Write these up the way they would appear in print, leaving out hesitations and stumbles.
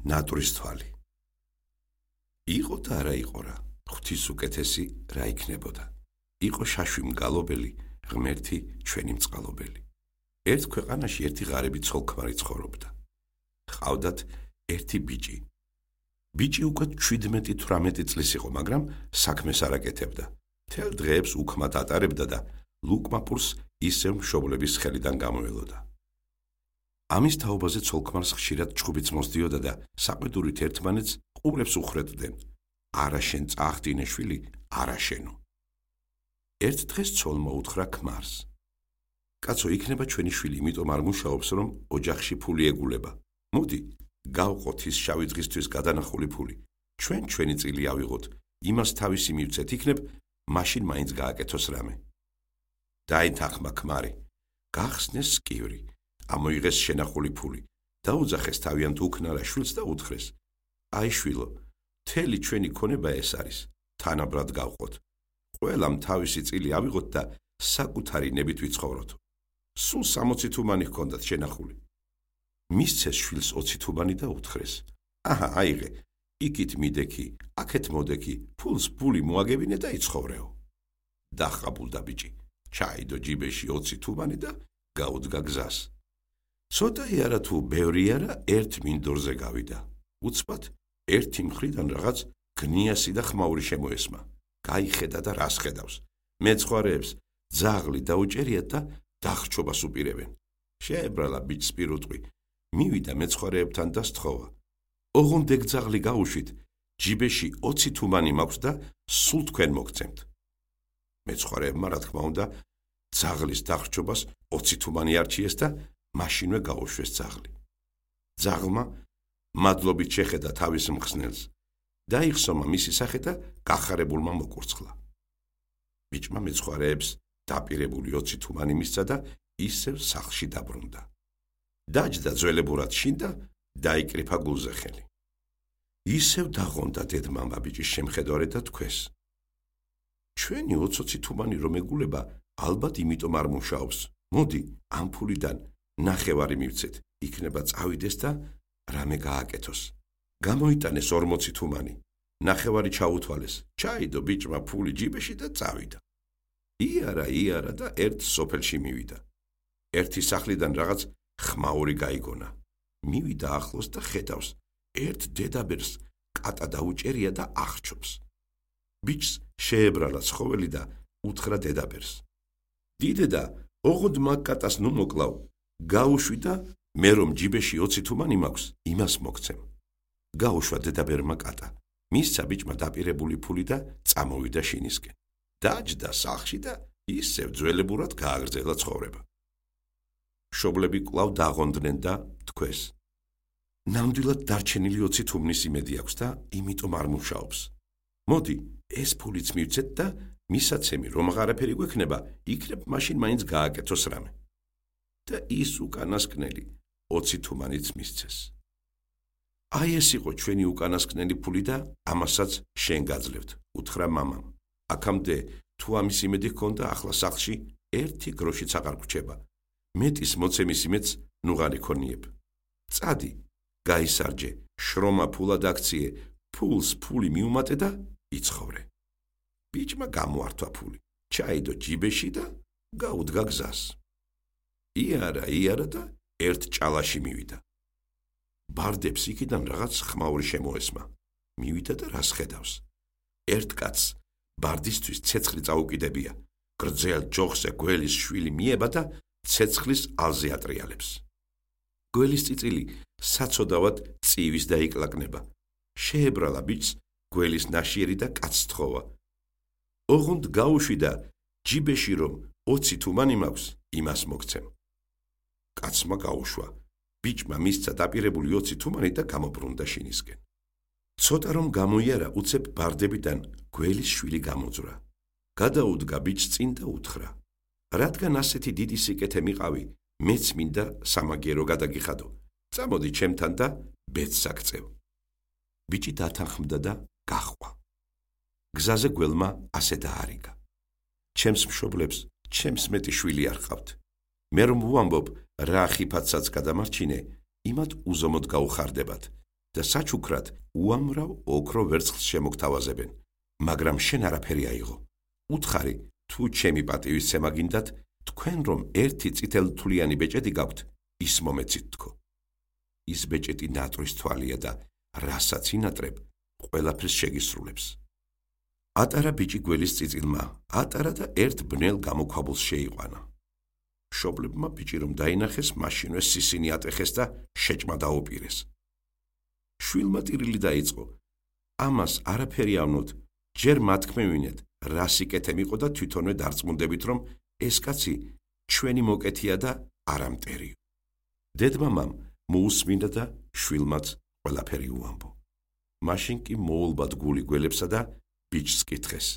ნატურის თვალი. იყო და არა იყო რა, ღვთის უკეთესი რა იქნებოდა. იყო შაშვი მგალობელი, ღმერთი ჩვენი მწყალობელი. ერთ ქვეყანაში ერთი ღარიბი ცოლ-ქმარი ცხოვრობდა. ჰყავდათ ერთი ბიჭი. ბიჭი უკვე 17-18 წლის იყო, მაგრამ საქმეს არ აკეთებდა. მთელ დღეებს უქმად ატარებდა და ლუკმაპურს ისევ მშობლების ხელიდან გამოელოდა. ამის თაობაზე ცოლ-ქმარს ხშირად ჩხუბიც მოსდიოდა და საყვედურით ერთმანეთს ყურებს უხრებდნენ. არა შენ წაახდინე შვილი, არა შენო. ერთ დღეს ცოლმა უთხრა ქმარს: კაცო, იქნება ჩვენი შვილი, იმიტომ არ მუშაობს, რომ ოჯახში ფული ეგულება. მოდი, გავყოთ ის შავი დღისთვის გადანახული ფული. ჩვენი წილი ავიღოთ, იმას თავისი მივცეთ, იქნებ მაშინ მაინც გააკეთოს რამე. დაინთახმა ქმარი, გახსნეს სკივრი, ამოიღეს შენახული ფული, დაუძახეს თავიანთ უქნარა შვილს და უთხრეს: აი შვილო, მთელი ჩვენი ქონება ეს არის, თანაბრად გავყოთ. ყველამ თავისი წილი ავიღოთ და საკუთარი ნებით ვიცხოვროთ. სულ 60 თუმანი ჰქონდათ შენახული. მისცეს შვილს 20 თუმანი და უთხრეს: აჰა, აიღე, იქით მიდექი, აქეთ მოდექი, ფულს ფული მოაგებინე და იცხოვრეო. დახაბულდა ბიჭი, ჩაიდო ჯიბეში 20 თუმანი და გაუდგა გზას. ცოტაი არა თუ ბევრი არა, ერთ მინდორზე გავიდა. უცბად ერთი მხრიდან რაღაც გნიასი და ხმაური შემოესმა. გაიხედა და რას ხედავს. მეცხვარეებს ძაღლი დაუჭერიათ და დახრჩობას უპირებენ. შეებრალა ბიჭს პირუტყვი, მივიდა მეცხვარეებთან და სთხოვა: ოღონდ ეგ ძაღლი გაუშვით, ჯიბეში 20 თუმანი მაქვს და სულ თქვენ მოგცემთ. მეცხვარეებმა რა თქმა უნდა ძაღლის დახრჩობას 20 თუმანი არჩიეს და მაშინვე გაუშვეს ძაღლი. ძაღლმა მადლობით შეხედა თავის მხსნელს, დაიხსომა მისი სახე და გახარებულმა მოკურცხლა. ბიჭმა მეცხვარეებს დაპირებული 20 თუმანი მისცა და ისევ სახლში დაბრუნდა. დაჯდა ძველებურად შინ და დაიკრიფა გულზე ხელი. ისევ დაღონდა დედმამა ბიჭის შემხედვარედ და თქვეს: ჩვენი 20 თუმანი რომ ეგულება, ალბათ იმიტომ არ მუშაობს. მოდი, ამ ფულიდან ნახევარი მივცეთ, იქნება წავიდეს და რამე გააკეთოს. გამოიტანეს 40 თუმანი, ნახევარი ჩაუთვალეს, ჩაიდო ბიჭმა ფული ჯიბეში და წავიდა. იარა და ერთ სოფელში მივიდა. ერთი სახლიდან რაღაც ხმაური გაიგონა. მივიდა ახლოს და ხედავს, ერთ დედაბერს კატა დაუჭერია და აღრჩობს. ბიჭს შეებრალა ცხოველი და უთხრა დედაბერს: დიდედა, ოღონდ მაგ კატას ნუ მოკლავ, გაუშვი და მე რომ ჯიბეში 20 თუმანი მაქვს, იმას მოგცემ. გაუშვა დედაბერმა კატა, მისცა ბიჭმა დაპირებული ფული და წამოვიდა შინისკენ. დაჯდა სახლში და ისევ ძველებურად გააგრძელა ცხოვრება. მშობლები კვლავ დაღონდნენ და თქვეს: ნამდვილად დარჩენილი 20 თუმნის იმედი აქვს და იმიტომ არ მუშაობს. მოდი, ეს ფულიც მივცეთ და მისაცემი რომ აღარაფერი გვექნება, იქნებ მაშინ მაინც გააკეთოს რამე. და ის უკანასკნელი 20 თუმანიც მისცეს. აი ეს იყო ჩვენი უკანასკნელი ფული და ამასაც შენ გაძლევთ, უთხრა მამამ. აქამდე თუ ამის იმედი ჰქონდა, ახლა სახლში 1 გროშიც აღარ გვრჩება. მეტის მოცემის იმედს ნუღარ იქონიებ. წადი, გაისარჯე, შრომა ფულად აქციე, ფულს ფული მიუმატე და იცხოვრე. ბიჭმა გამოართვა ფული, ჩაიდო ჯიბეში და გაუდგა გზას. იარა და ერთ ჭალაში მივიდა. ბარდებს იქიდან რაღაც ხმაური შემოესმა. მივიდა და რას ხედავს. ერთ კაცს ბარდისთვის ცეცხლი წაუკიდებია. გრძელ ჯოხზე გველის შვილი მიება და ცეცხლის ალზე ატრიალებს. გველის წიწილი საცოდავად წივის დაიკლაკნება. შეებრალა ბიჭს გველის ნაშიერი და კაცს თხოვა: ოღონდ გაუშვი და ჯიბეში რომ 20 თუმანი მაქვს, იმას მოგცემ. კაცმა გაუშვა. ბიჭმა მისცა დაპირებული 20 თუმანი და გამობრუნდა შინისკენ. ცოტა რომ გამოიარა, უცებ ბარდებიდან გველის შვილი გამოძვრა. გადაუდგა ბიჭს წინ და უთხრა: რადგან ასეთი დიდი სიკეთე მიყავი, მეც მინდა სამაგიერო გადაგიხადო. წამოდი ჩემთან და ბედს აქწევ. ბიჭი დათანხმდა და გაჰყვა. გზაზე გველმა ასე დაარიგა: ჩემს მშობლებს ჩემს მეტი შვილი არ ყავთ. მე რომ ვუამბობ, რა ხიფათსაც გადამარჩინე, იმათ უზომოდ გაუხარდებათ და საჩუქრად უამრავ ოქრო ვერცხლს შემოგთავაზებენ, მაგრამ შენ არაფერი აიღო. უთხარი, თუ ჩემი პატივისცემა გინდათ, თქვენ რომ ერთი წითელთვლიანი ბეჭედი გაქვთ, ის მომეცით თქო. ის ბეჭედი ნატრის თვალია და რასაც ინატრებ, ყველაფერს შეგისრულებს. ატარა ბიჭი გველის წიწილმა, ატარა და ერთ ბნელ გამოქვაბულს შეიყვანა. მშობლებმა ბიჭი რომ დაინახეს, მაშინვე სისინი ატეხეს და შეჭმა დაუპირეს. შვილმა ტირილი დაიწყო. ამას არაფერი ავნოთ, ჯერ მათქმევინეთ, რა სიკეთე მიყო და თვითონვე დარწმუნდებით, რომ ეს კაცი ჩვენი მოკეთია და არა მტერია. დედმამამ მოусმინდა და შვილმაც ყველაფერი უამბო. მაშინ კი მოულბად გული გველებსა და ბიჭს კითხეს.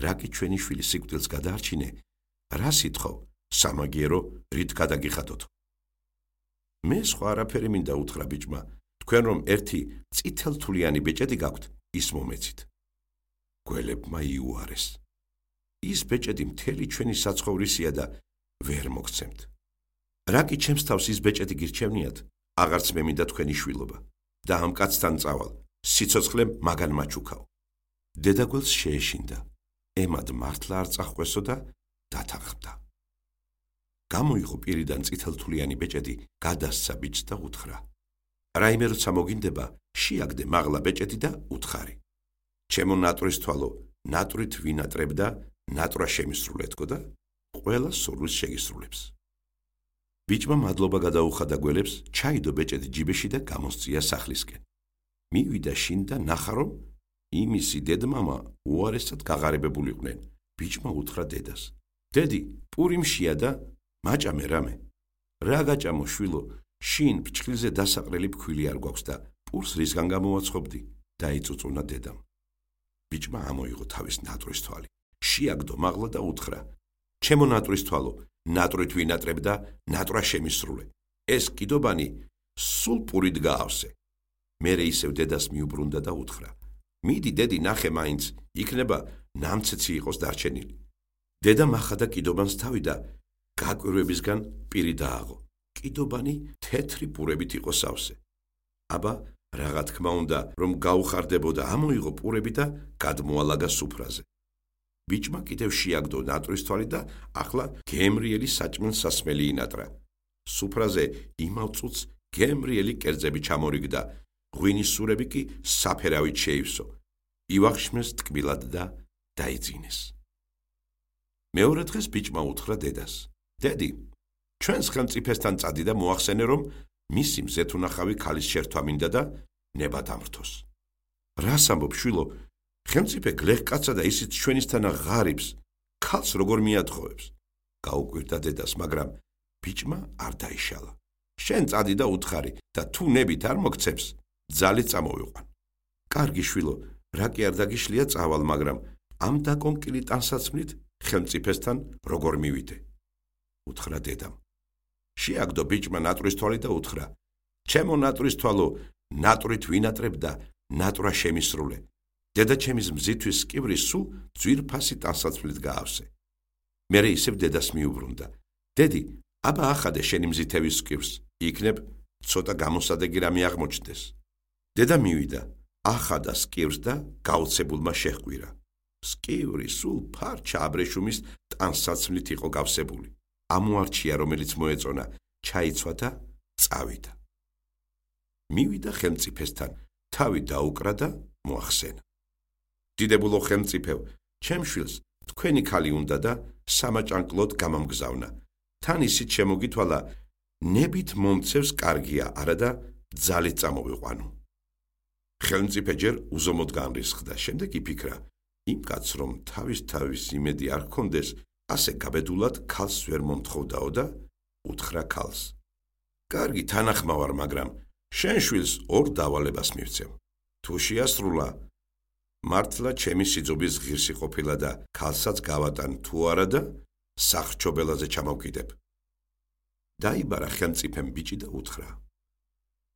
რა კი ჩვენი შვილი სიკვდილს გადაარჩინე? რა სიტყვა? სამაგიერო რით გადაგიხადოთ? მე სხვა არაფერი მინდა უთხრა ბიჭმა. თქვენ რომ ერთი წითელთვლიანი ბეჭედი გაქვთ, ის მომეცით. გველებმა იუარეს. ის ბეჭედი მთელი ჩვენი საცხოვრისია და ვერ მოგცემთ. რა კი ჩემს თავს ის ბეჭედი გირჩევნიათ, აღარც მე მინდა თქვენი შვილობა და ამ კაცთან წავალ, სიცოცხლე მაგან მაჩუქაო. დედაგველს შეეშინდა, ემად მართლა არ წახვესო და დათანხმდა. გამოიღო პირიდან წითელთვლიანი ბეჭედი, გადასცა ბიჭს და უთხრა. რაიმე როცა მოგინდება, შეაგდე მაღლა ბეჭედი და უთხარი. ჩემო ნატრის თვალო, ნატრით ვინატრებ და ნატრა შემისრულეთქო და ყველა სურვილს შეგისრულებს. ბიჭმა მადლობა გადაუხადა გველებს, ჩაიდო ბეჭედი ჯიბეში და გამოსწია სახლისკენ. მივიდა შინ და ნახა რომ იმისი დედმამა უარესად გაღარებებულიყვნენ. ბიჭმა უთხრა დედას. დედი, პურიმშია და მაჭამე რამე. რა გაჭამო შვილო, შინ ფჭხილზე დასაყრელი ფქვილი არ გვაქვს და პურს რისგან გამოვაცხობდი? დაიწუწუნა დედამ. ბიჭმა ამოიღო თავის ნატრის თვალი. შეაგდო მაღლა და უთხრა. ჩემო ნატრის თვალო, ნატრით ვინატრებ და ნატრა შემისრულე. ეს კიდობანი სულ პურით გაავსე. მერე ისევ დედას მიუბრუნდა და უთხრა. მიდი დედი ნახე მაინც, იქნება ნამცეცი იყოს დარჩენილი. დედამ ახადა კიდობანს თავი და გაკვირვებისგან პირი დააღო. კიდობანი თეთრი პურებით იყო სავსე. აბა, რაღა თქმა უნდა, რომ გაუხარდებოდა, ამოიღო პურები და გადმოალაგა სუფრაზე. ბიჭმა კიდევ შეაგდო ნატრის თვალი და ახლა გემრიელი საჭმელ სასმელი ინატრა. სუფრაზე იმავ წუთს გემრიელი კერძები ჩამორიგდა, ღვინის სურები კი საფერავით შეივსო. ივახშმეს ტკბილად და დაიძინეს. მეორე დღეს ბიჭმა უთხრა დედას. დედი, ჩვენს ხელმწიფესთან წადი და მოახსენე, რომ მისი მზეთუნახავი ქალის შერთვა მინდა და ნება დამრთოს. რას ამბობ შვილო? ხელმწიფე გლეხკაცა და ისიც ჩვენისთანა ღარიბს, ქალს როგორ მიათხოვებს? გაუკვირდა დედას, მაგრამ ბიჭმა არ დაიშალა. შენ წადი და უთხარი და თუ ნებით არ მოგცემს, ძალით წამოვიყვან. კარგი შვილო, რა კი არ დაგიშლია წავალ, მაგრამ ამ დაკონკილი ტანსაცმლით ხელმწიფესთან როგორ მივიდე? უთხრა დედამ. შეაგდო ბიჭმა ნატრის თვალი და უთხრა. ჩემო ნატრის თვალო, ნატრით ვინატრებ და ნატრა შემისრულე. დედა ჩემის მზისთვის სკივრი სულ ძვირფასი ტანსაცმლით გაავსე. მერე ისევ დედას მიუბრუნდა. დედი, აბა ახადე შენი მზითების სკივრს, იქნებ ცოტა გამოსადეგი რამე აღმოჩნდეს. დედა მივიდა, ახადა სკივრს და გაოცებულმა შეჰყვირა. სკივრი სულ ფარჩა აბრეშუმის ტანსაცმლით იყო გავსებული. ამოარჩია, რომელიც მოეწონა, ჩაიცვა და წავიდა. მივიდა ხელმწიფესთან, თავი დაუკრა და მოახსენა. დიდებულო ხელმწიფევ, ჩემ შვილს თქვენი ქალი უნდა და სამაჭანკლოდ გამამგზავნა. თან ისიც შემოგითვალა, ნებით მომცევს კარგია, არა და ძალით წამოვიყვანო. ხელმწიფე ჯერ უზომოდ განრისხდა, შემდეგ იფიქრა, იმ კაცს რომ თავის იმედი არ ჰქონდეს, ასე გაბედულად ქალს ვერ მომთხოვდაო და უთხრა ქალს. კარგი თანახმა ვარ, მაგრამ შენ შვილს ორ დავალებას მივცემ. თუ შეასრულა, მართლა ჩემი სიძობის ღირსი ყოფილა და ქალსაც გავატან თუ არა და სახრჩობელაზე ჩამოვკიდებ. დაიბარა ხელმწიფემ ბიჭი და უთხრა.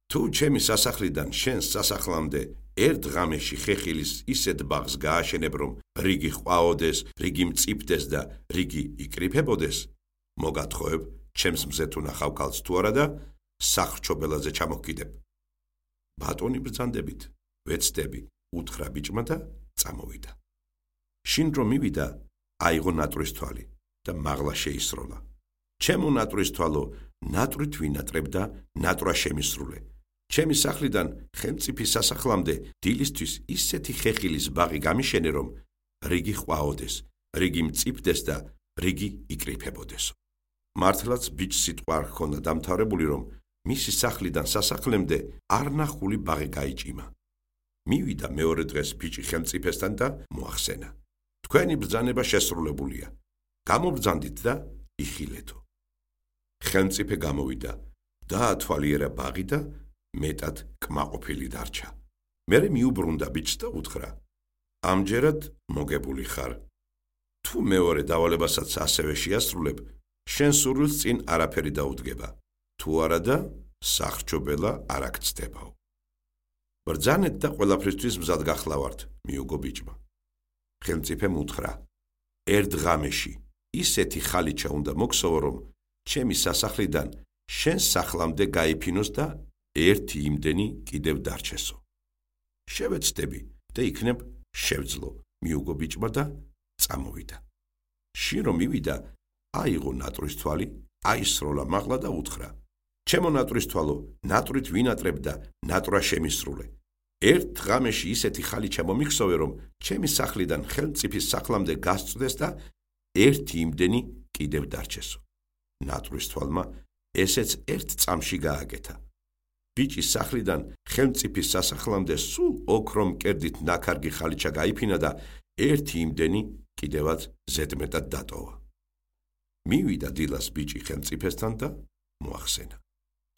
თუ ჩემი სასახლიდან შენს სასახლამდე ერთ ღამეში ხეხილის ისეთ ბაღს გააშენებ, რომ რიგი ყვაოდეს, რიგი მწიფდეს და რიგი იკრიფებოდეს, მოგათხოვებ ჩემს მზეთუნახავ ქალს თუ არა და სახრჩობელაზე ჩამოვკიდებ. ბატონი ბრძანდებით, ვეცდები, უთხრა ბიჭმა და წამოვიდა. შინ რომ მივიდა, აიღო ნატვრის თვალი და მაღლა შეისროლა. ჩემო ნატვრის თვალო, ნატვრით ვინატრებ და ნატრა შემისრულე. ჩემი სახლიდან ხელმწიფის სასახლამდე დილისთვის ისეთი ხეხილის ბაღი გამიშენე, რომ რიგი ყვაოდეს, რიგი მწიფდეს და რიგი იკრიფებოდეს. მართლაც ბიჭს სიტყვა არ ჰქონდა დამთავრებული, რომ მისი სახლიდან სასახლემდე არნახული ბაღი გაიჭიმა. მივიდა მეორე დღეს ბიჭი ხელმწიფესთან და მოახსენა. თქვენი ბრძანება შესრულებულია. გამობრძანდით და იხილეთო. ხელმწიფე გამოვიდა, დაათვალიერა ბაღი და მეტად კმაყოფილი დარჩა. მერე მიუბრუნდა ბიჭს და უთხრა: ამჯერად მოგებული ხარ. თუ მეორე დავალებასაც ასევე შეასრულებ, შენ სურვილს წინ არაფერი დაუდგება. თუ არა და სახრჩობელა არ აქცდებაო. ბრძანეთ და ყველაფრისთვის მზად გახლავართ, მიუგო ბიჭმა. ხელმწიფემ უთხრა: ერთ ღამეში ისეთი ხალიჩა უნდა მოგსოვო, რომ ჩემი სასახლიდან შენ სახლამდე გაიფინოს და ერთი იმდენი კიდევ დარჩესო. შევეცდები და იქნებ შევძლო, მიუგო ბიჭმა და წამოვიდა. შინ რომ მივიდა, აიღო ნატვრის თვალი, აისროლა მაღლა და უთხრა: ჩემო ნატვრის თვალო, ნატვრით ვინატრებ და ნატრა შემისრულე. ერთ ღამეში ისეთი ხალიჩა მომიხსოვე, რომ ჩემი სახლიდან ხელმწიფის სახლამდე გასწვდეს და ერთი იმდენი კიდევ დარჩესო. ნატვრის თვალმა ესეც ერთ წამში გააკეთა. ბიჭის სახლიდან ხელმწიფის სასახლამდე სულ ოქრომ კერდით ნაქარგი ხალიჩა გაიფინა და ერთი იმდენი კიდევაც ზედმეტად დატოვა. მივიდა დილას ბიჭი ხელმწიფესთან და მოახსენა: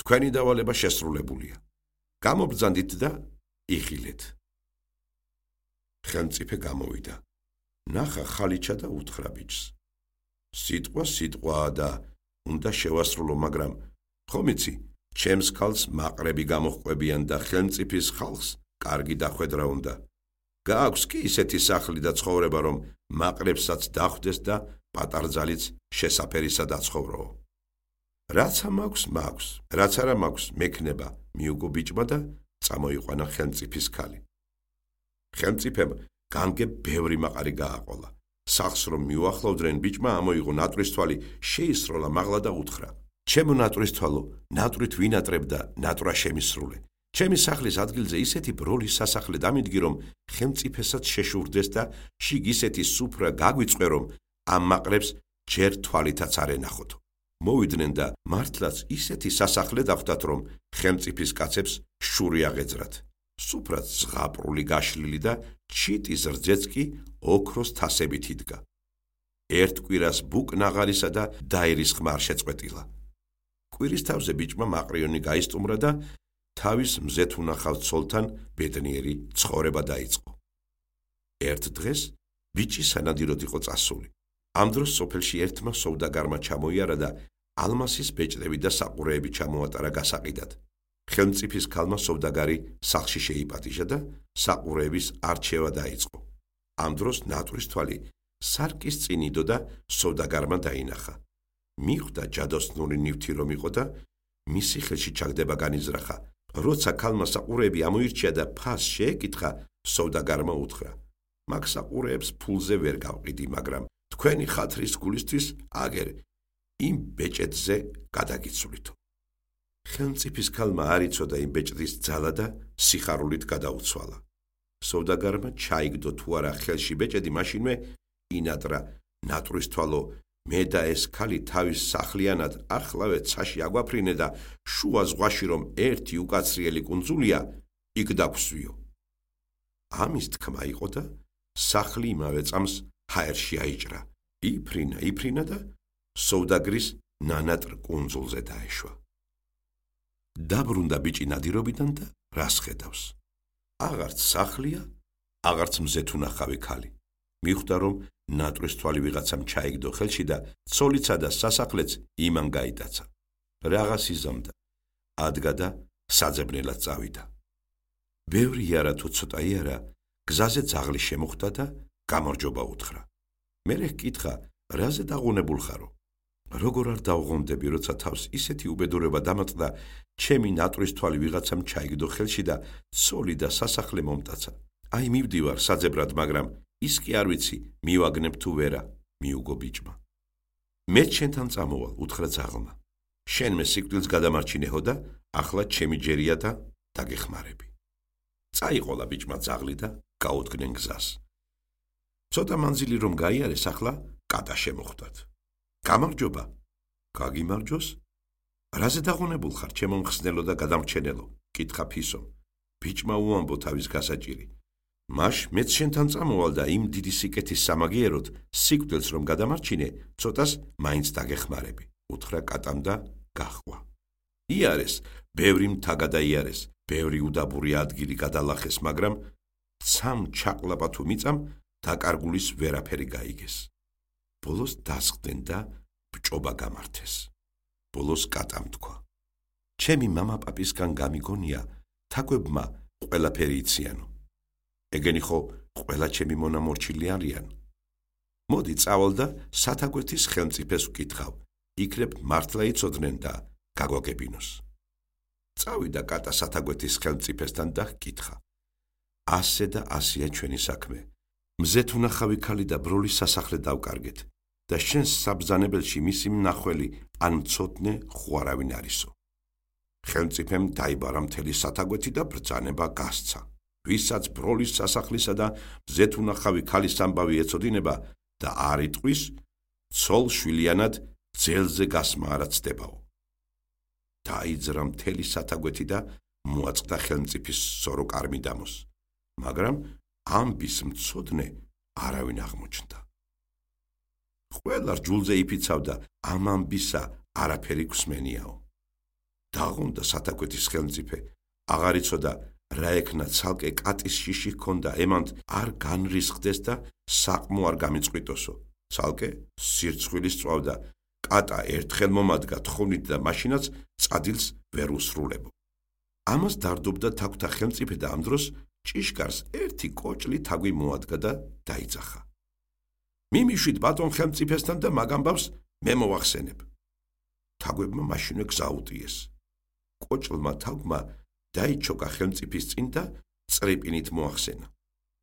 თქვენი დავალება შესრულებულია. გამობრძანდით და იხილეთ. ხელმწიფე გამოვიდა, ნახა ხალიჩა და უთხრა ბიჭს: სიტყვა სიტყვაა და უნდა შევასრულო, მაგრამ ხომ იცი, ჩემს ქალს მაყრები გამოჰყვებიან და ხელმწიფის ხალხს კარგი დახვედრა უნდა. გააქვს კი ისეთი სახლი და ცხოვრება, რომ მაყრებსაც დახვდეს და პატარძალიც შესაფერისა დაცხოვროო. რაცა მაქვს, რაც არა მაქვს, მექნება, მიუგო ბიჭმა და წამოიყვანა ხელმწიფის ქალი. ხელმწიფემ განგებ ბევრი მაყარი გააყოლა. სახლს რომ მიუახლოვდნენ, ბიჭმა ამოიღო ნატვრის თვალი, შეისროლა მაღლა და უთხრა: ჩემო ნატვრის თვალო, ნატვრით ვინატრებ და ნატრა შემისრულე. ჩემი სახლის ადგილზე ისეთი ბროლის სასახლე დამიდგი, რომ ხელმწიფესაც შეშურდეს და შიგ ისეთი სუფრა გაგვიწყვე, რომ ამ მაყრებს ჯერ თვალითაც არ ენახოთო. მოვიდნენ და მართლაც ისეთი სასახლე დახვდათ, რომ ხელმწიფის კაცებს შური აღეძრათ. სუფრაც ზღაპრული გაშლილი და ჩიტის რძეც კი ოქროს თასებით იდგა. ერთ კვირას ბუკ ნაღარისა და დაირის ხმა არ შეწყვეტილა. კვირის თავზე ბიჭმა მაყრიონი გაისტუმრა და თავის მზეთ უნახავ ცოლთან ბედნიერი ცხოვრება დაიწყო. ერთ დღეს ბიჭი სანადიროდ იყო წასული. ამ დროს სოფელში ერთმა სოვდაგარმა ჩამოიარა და ალმასის ბეჭდები და საყურეები ჩამოატარა გასაყიდად. ხელმწიფის ქალმა სოვდაგარი სახლში შეიპატიჟა და საყურეების არჩევა დაიწყო. ამ დროს ნატვრის თვალი სარკის წინ იდო და სოვდაგარმა დაინახა. მიხვდა ჯადოსნური ნივთი რომ იყო და მისი ხელში ჩაგდება განიზრახა. როცა ქალმა საყურეები ამოირჩია და ფას შეეკითხა, სოვდაგარმა უთხრა: მაგ საყურეებს ფულზე ვერ გავყიდი, მაგრამ თქვენი ხათრის გულისთვის აგერ იმ ბეჭედზე გადაგიცვლითო. ხელმწიფის ქალმა არ იცოდა იმ ბეჭდის ძალა და სიხარულით გადაუცვალა. სოვდაგარმა ჩაიგდო თუ არა ხელში ბეჭედი, მაშინვე ინატრა: ნატვრის თვალო, მე და ეს ქალი თავის სახლიანად ახლავე ცაში აგვაფრინე და შუა ზღვაში რომ ერთი უკაცრიელი კუნძულია, იქ დაგვსვიო. ამის თქმა იყო და სახლი იმავე წამს ჰაერში აიჭრა. იფრინა და სოვდაგრის ნანატრ კუნძულზე დაეშვა. დაბრუნდა ბიჭი ნადირობიდან და რას ხედავს? აღარც სახლია, აღარც მზეთ უნახავი ქალი. მიხვდა რომ ნატვრის თვალი ვიღაცამ ჩაიგდო ხელში და ცოლიცა და სასახლეც იმან გაიტაცა. რაღაც იზამდა, ადგა და საძებნელად წავიდა. ბევრი იარა თუ ცოტა იარა, გზაზე ძაღლი შემოხვდა და გამარჯობა უთხრა. მერე ჰკითხა: რაზე დაღუნებულ ხარო? როგორ არ დავღონდები, როცა თავს ისეთი უბედურება დამატდა, ჩემი ნატვრის თვალი ვიღაცამ ჩაიგდო ხელში და ცოლი და სასახლე მომტაცა. აი მივდივარ საძებრად, მაგრამ ის კი არ ვიცი, მივაგნებ თუ ვერა, მიუგო ბიჭმა. მე შენთან წამოვალ, უთხრა ძაღლმა. შენ მე სიკვდილს გადამარჩინეო და ახლა ჩემი ჯერია და დაგეხმარები. წაიყოლა ბიჭმა ძაღლი და გაუდგნენ გზას. ცოტა მანძილი რომ გაიარეს, ახლა კატა შემოხვდათ. გამარჯობა, გაგიმარჯოს? რაზე დაღონებულ ხარ, ჩემო მხსნელო და გადამრჩენელო? კითხა ფისომ. ბიჭმა უამბო თავის გასაჭირი. მაშ მეც შენთან წამოვალ და იმ დიდი სიკეთის სამაგიეროდ სიკვდილს რომ გადამარჩინე, ცოტას მაინც დაგეხმარები, უთხრა კატამ და გაჰყვა. იარეს, ბევრი მთა გადაიარეს, ბევრი უდაბური ადგილი გადალახეს, მაგრამ ცამ ჩაყლაპა თუ მიწამ, დაკარგულის ვერაფერი გაიგეს. ბოლოს დასხდნენ და ბჭობა გამართეს. ბოლოს კატამ თქვა: ჩემი მამა-პაპისგან გამიგონია, თაგვებმა ყველაფერი იციანო. ეგენი ხო ყველა ჩემი მონამორჩილი არიან. მოდი წავალ და სათაგვეთის ხელმწიფეს ვკითხავ, იქნებ მართლა იცოდნენ და გაგვაგებინოს. წავიდა კატა სათაგვეთის ხელმწიფესთან და ჰკითხა: ასე და ასეა ჩვენი საქმე. მზეთ უნახავი ქალი და ბროლის სასახლე დავკარგეთ და შენს საბრძანებელში მისი მნახველი ან მცოდნე ხუარავინ არისო. ხელმწიფემ დაიბარა მთელი სათაგვეთი და ბრძანება გასცა. ვისაც ბროლის სასახლისა და მზეთ უნახავი ქალის ამბავი ეწოდინება და არ იტყვის, ცოლ შვილიანად ძელზე გასმა არ ცდებაო. დაიძრა მთელი სათაგვეთი და მოაწყდა ხელმწიფის სორო კარმიდამოს, მაგრამ ამბის მცოდნე არავინ აღმოჩნდა. ყველა რჯულზე იფიცავდა, ამ ამბისა არაფერი გვსმენიაო. დაღონდა სათაგვეთის ხელმწიფე, აღარ იცოდა რა ექნა ცალკე კატის შიში ჰქონდა, ემანთ არ განრისხდეს და საყმო არ გამიწყვიტოსო. ცალკე სირცხვილის წვავდა, კატა ერთხელ მომადგა თხოვნით და მაშინაც წადილს ვერ უსრულებო. ამას დარდობდა თაგვთა ხელმწიფე და ამ დროს ჭიშკარს ერთი კოჭლი თაგვი მოადგა და დაიძახა. მიმიშვით ბატონ ხელმწიფესთან და მაგ ამბავს მე მოვახსენებ. თაგვებმა მაშინვე გზა უტიეს. კოჭლმა თაგვმა დაიჩოკა ხელმწიფის წინ და წრიპინით მოახსენა.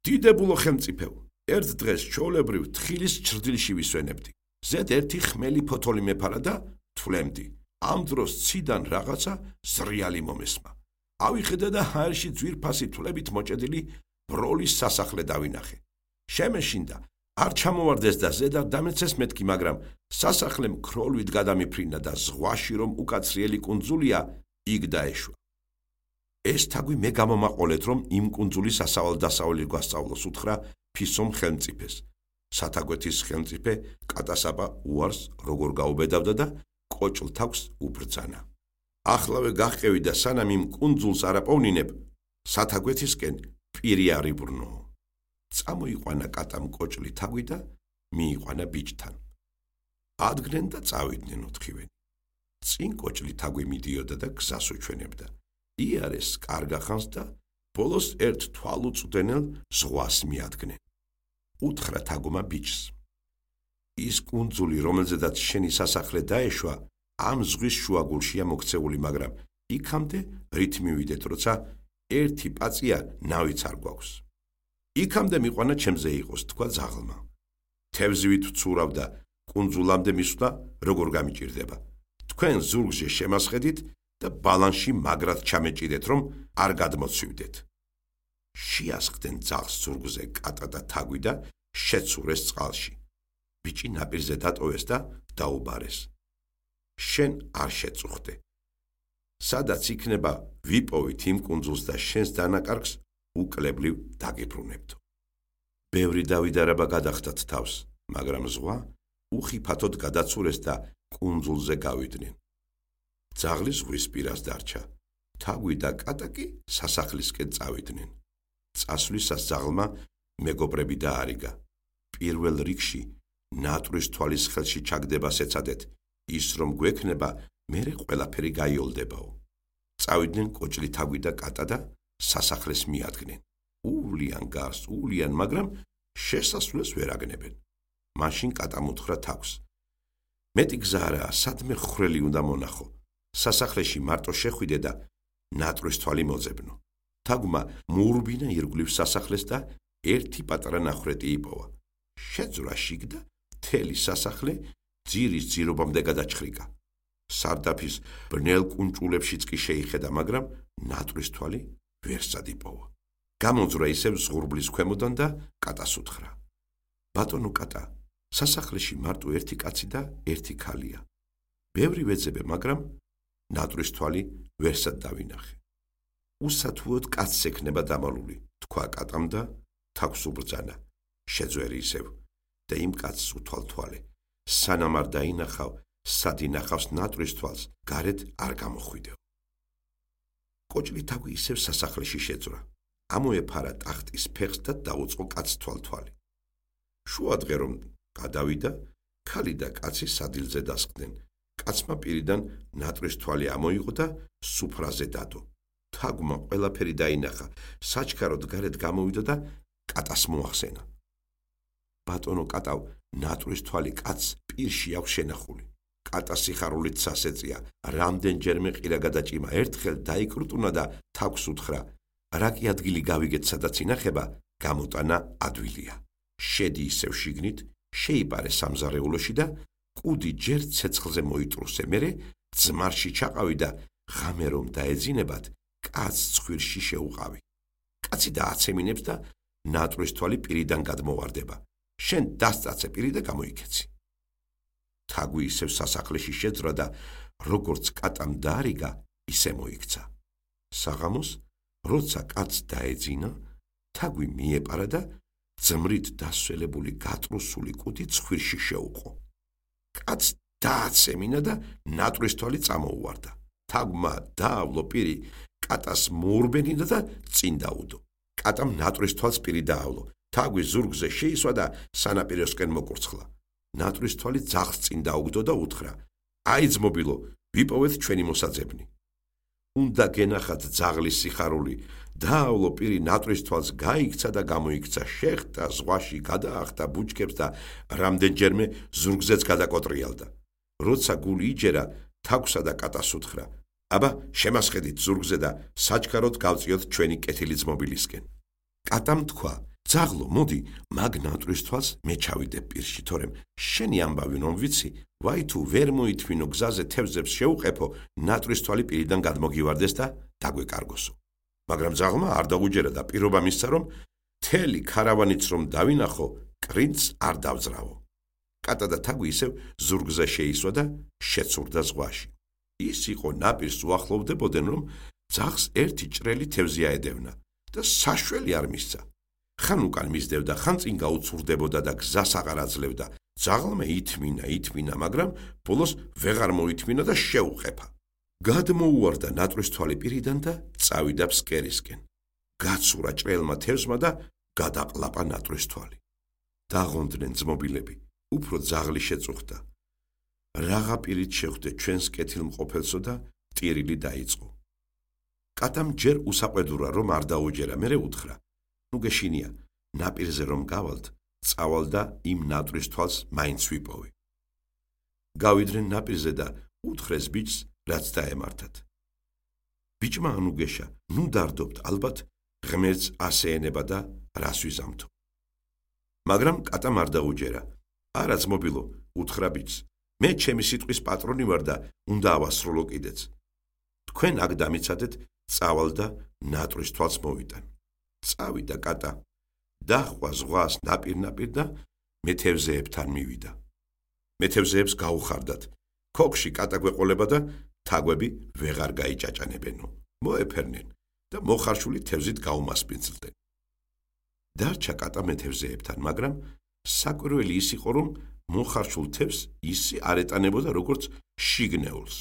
დიდებულო ხელმწიფეო, ერთ დღეს ჩვეულებრივ თხილის ჩრდილში ვისვენებდი. ზედ ერთი ხმელი ფოთოლი მეფარა და თვლემდი. ამ დროს ციდან რაღაცა ზრიალი მომესმა. ავიხედა და ჰაერში ძვირფასი თვლებით მოჭედილი ბროლის სასახლე დავინახე. შემეშინდა, არ ჩამოვარდეს და ზედა დამეცეს მეთქი, მაგრამ სასახლემ ქროლვით გადამიფრინა და ზღვაში რომ უკაცრიელი კუნძულია, იქ დაეშვა. ეს თაგვი მე გამომაყოლეთ, რომ იმ კუნძულის ასავალ-დასავალი გვასწავლოს, უთხრა ფისომ ხელმწიფეს. სათაგვეთის ხელმწიფე კატასაბა უარს როგორ გაუბედავდა და კოჭლ თავს უბრძანა. ახლავე გაჰყევი და სანამ იმ კუნძულს არ აპოვნინებ, სათაგვეთისკენ პირი არ იბრუნო. წამოიყვანა კატამ კოჭლი თაგვი და მიიყვანა ბიჭთან. ადგნენ და წავიდნენ ოთხივენი. წინ კოჭლი თაგვი მიდიოდა და გზას უჩვენებდა. იარეს კარგახანს და ბოლოს ერთ თვალუწვდენელ ზღვას მიადგნენ. უთხრა თაგვმა ბიჭს: ის კუნძული, რომელზედაც შენი სასახლე დაეშვა, ამ ზღვის შუაგულშია მოქცეული, მაგრამ იქამდე რით მივიდეთ, როცა ერთი პაწია ნავიც არ გვაქვს. იქამდე მიყვანა ჩემზე იყოს, თქვა ძაღლმა. თევზივით ვცურავ და კუნძულამდე მისვლა როგორ გამიჭირდება. თქვენ ზურგზე შემასხედით და ბალანში მაგრად ჩამეჭიდეთ, რომ არ გადმოცივდეთ. შეასხდნენ ძაღლს ზურგზე კატა და თაგვი და შეცურეს წყალში. ბიჭი ნაპირზე დატოვეს და დაუბარეს. შენ არ შეწუხდე. სადაც იქნება ვიპოვით იმ კუნძულს და შენს დანაკარგს უკლებლივ დაგიბრუნებდო. ბევრი დავიდარება გადახდათ თავს, მაგრამ ზღვა უხიფათოდ გადაცურეს და კუნძულზე გავიდნენ. ძაღლი ზღვის პირას დარჩა. თაგვი და კატა კი სასახლისკენ წავიდნენ. წასვლისას ძაღლმა მეგობრები დაარიგა. პირველ რიგში ნატვრის თვალის ხელში ჩაგდებას ეცადეთ, ის რომ გვექნება, მერე ყველაფერი გაიოლდებაო. წავიდნენ კოჭლი თაგვი და კატა და სასახლეს მიადგნენ. უვლიან გარს, უვლიან, მაგრამ შესასვლელს ვერ აგნებენ. მაშინ კატამ უთხრა თავს: მეტი გზა არაა, სადმე ხვრელი უნდა მონახო. სასახლეში მარტო შეხვიდე და ნატრის თვალი მოძებნო. თაგვმა მოურბინა ირგვლივ სასახლეს და ერთი პატარა ნახრეტი იპოვა. შეძვრა შიგ და მთელი სასახლე ძირის ძირობამდე გადაჩხრიკა. სარდაფის ბნელ კუნჭულებშიც კი შეიხედა, მაგრამ ნატრის თვალი ვერსად იპოვა. გამოძვრა ისევ ზღურბლის ქვემოდან და კატას უთხრა: ბატონო კატა, სასახლეში მარტო ერთი კაცი და ერთი ქალია. ბევრი ვეძებე, მაგრამ ნატრის თვალი ვერსად დავინახე. უსათუოდ კაცს ექნება დამალული, თქვა კატამ და თავს უბრძანა. შეძვერი ისევ და იმ კაცს უთვალ თვალე. სანამ არ დაინახავ, სად ინახავს ნატრის თვალს, გარეთ არ გამოხვიდეო. კოჭლი თაგვი ისევ სასახლეში შეძვრა. ამოეფარა ტახტის ფეხს და დაუწყო კაცს თვალთვალი. შუადღე რომ გადავიდა, ქალი და კაცი სადილზე დასხდნენ. კაცმა პირიდან ნატრის თვალი ამოიღო და სუფრაზე დადო. თაგვმა ყველაფერი დაინახა, საჩქაროდ გარეთ გამოვიდა და კატას მოახსენა. ბატონო კატავ, ნატრის თვალი კაცს პირში აქვს შენახული. კატა სიხარულით სასეწია, რამდენჯერმე ყირა გადაჭიმა, ერთხელ დაიკრუტუნა და თაგვს უთხრა: რა კი ადგილი გავიგეთ, სადაც ინახება, გამოტანა ადვილია. შედი ისევ შიგნით, შეიპარე სამზარეულოში და კუდი ჯერ ცეცხლზე მოიტრუსე, მერე ძმარში ჩაყავი და ღამე რომ დაეძინებათ, კაცს ცხვირში შეუყავი. კაცი დააცემინებს და ნატრის თვალი პირიდან გადმოვარდება. შენ დასწაცე პირი და გამოიქეცი. თაგვი ისევ სასახლეში შეძრა და როგორც კატამ დაარიგა, ისე მოიქცა. საღამოს, როცა კაცს დაეძინა, თაგვი მიეპარა და ძმრით დასველებული გატრუსული კუდი ცხვირში შეუყო. კაცს დააცემინა და ნატრის თვალი წამოუვარდა. თაგვმა დაავლო პირი, კატას მოურბენინა და წინ დაუდო. კატამ ნატრის თვალს პირი დაავლო. თაგვი ზურგზე შეისვა და სანაპიროსკენ მოკურცხლა. ნატრის თვალი ძაღლს წინ დაუგდო და უთხრა: აი ძმობილო, ვიპოვეთ ჩვენი მოსაძებნი. უნდა გენახათ ძაღლის სიხარული. დაავლო პირი ნატრის თვალს გაიქცა და გამოიქცა, შეხტა, ზღვაში გადაახტა ბუჩქებს და რამდენჯერმე ზურგზეც გადაკოტრიალდა. როცა გული იჯერა, თაგვსა და კატას უთხრა: აბა, შემასხედით ზურგზე და საჩქაროდ გავწიოთ ჩვენი კეთილი ძმობილისკენ. კატამ თქვა: ძაღლო, მოდი, მაგ ნატრის თვალს მე ჩავიდებ პირში, თორემ შენი ამბავი რომ ვიცი, ვაი თუ ვერ მოითმინო გზაზე თევზებს შეუყეფო, ნატრის თვალი პირიდან გადმოგივარდეს და დაგვეკარგოსო. მაგრამ ძაღლმა არ დაუჯერა და პირობა მისცა, რომ მთელი ქარავანიც რომ დავინახო, კრინცს არ დავძრავო. კატა და თაგვი ისევ ზურგზე შეისვა და შეცურდა ზღვაში. ის იყო ნაპირს უახლოვდებოდნენ, რომ ძაღლს ერთი ჭრელი თევზი აედევნა და საშველი არ მისცა. ხან უკან მისდევდა, ხან წინ გაუცურდებოდა და გზას აღარ აძლევდა. ძაღლმა ითმინა, მაგრამ ბოლოს ვეღარ მოითმინა და შეუყეფა. გადმოუვარდა ნატრის თვალი პირიდან და წავიდა ფსკერისკენ. გაცურა ჭრელმა თევზმა და გადაყლაპა ნატრის თვალი. დაღონდნენ ძმობილები, უფრო ძაღლი შეწუხდა. რაღა პირით შეხვდე ჩვენს კეთილმყოფელსო და ტირილი დაიწყო. კატამ ჯერ უსაყვედურა რომ არ დაუჯერა, მერე უთხრა: ნუ გეშინია, ნაპირზე რომ გავალთ, წავალ და იმ ნატრის თვალს მაინც ვიპოვე. გავიდნენ ნაპირზე და უთხრეს ბიჭს, რაც დაემართათ. ბიჭმა ანუგეშა, ნუ დარდობთ, ალბათ ღმერთს ასე ენება და რას ვიზამთო. მაგრამ კატამ არ დაუჯერა. არა ძმობილო, უთხრა ბიჭს, მე ჩემი სიტყვის პატრონი ვარ და უნდა ავასრულო კიდეც. თქვენ აქ დამიცადეთ, წავალ და ნატრის თვალს მოვიტან. წავიდა კატა, დაჰყვა ზღვას ნაპირ და მეთევზეებთან მივიდა. მეთევზეებს გაუხარდათ. ქოქში კატა გვეყოლება და თაგვები ვეღარ გაიჭაჭანებენო. მოეფერნენ და მოხარშული თევზით გაუმასპინძლდნენ. დარჩა კატა მეთევზეებთან, მაგრამ საკვირველი ის იყო, რომ მოხარშულ თევზს ისი არ ეტანებოდა როგორც შიგნეულს.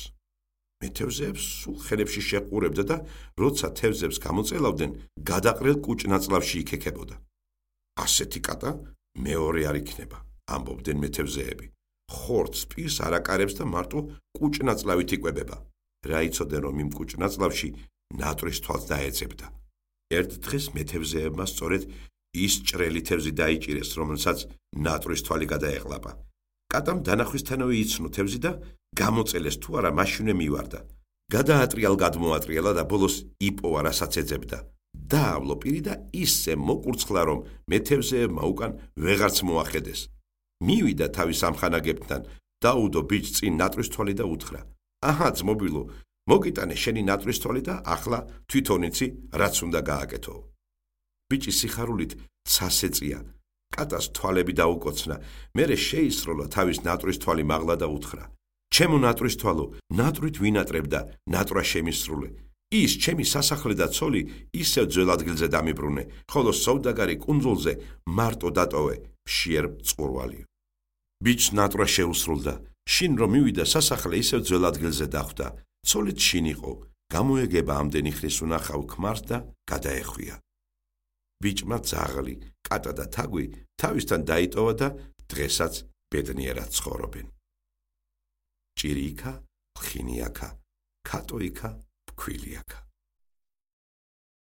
მეთევზეებს სულ ხელებში შეყურებდა და როცა თევზებს გამოწელავდნენ, გადაყრილ კუჭნაწლავში იქექებოდა. ასეთი კატა მეორე არ იქნება, ამბობდნენ მეთევზეები. ხორცს პირს არ აკარებს და მარტო კუჭნაწლავით იკვებება. რა იცოდნენ, რომ იმ კუჭნაწლავში ნატრის თვალს დაეძებდა. ერთ დღეს მეთევზეებმა სწორედ ის ჭრელი თევზი დაიჭირეს, რომელსაც ნატრის თვალი გადაეყლაპა. კატამ დანახვისთანავე იცნო თევზი და გამოწელეს თუ არა მაშინვე მივარდა. გადმოატრიალა და ბოლოს იპოვა რასაც ეძებდა. დაავლო პირი და ისე მოკურცხლა რომ მე თევზეებმა უკან ვეღარც მოახედეს. მივიდა თავის ამხანაგებთან, დაუდო ბიჭს წინ ნატრისთვალი და უთხრა: აჰა ძმობილო, მოგიტანე შენი ნატრისთვალი და ახლა თვითონ იცი რაც უნდა გააკეთო. ბიჭი სიხარულით ცას ეწია, კატას თვალები დაუკოცნა, მერე შეისროლა თავის ნატრისთვალი მაღლა და უთხრა: ჩემო ნატრისთვალო, ნატრით ვინატრებ და ნატრა შემისრულე. ის ჩემი სასახლე და ცოლი ისევ ძველ ადგილზე დამიბრუნე, ხოლო სოვდაგარი კუნძულზე მარტო დატოვე, მშიერ მწყურვალიო. ბიჭს ნატრა შეუსრულდა, შინ რომ მივიდა სასახლე ისევ ძველ ადგილზე დახვდა, ცოლით შინ იყო, გამოეგება ამდენი ხნის უნახავ ქმარს და გადაეხვია. ბიჭმა ძაღლი, კატა და თაგვი თავისთან დაიტოვა და დღესაც ბედნიერად ცხოვრობენ. ჭირი იქა, ლხინი აქა, ქატო იქა, ფქვილი აქა.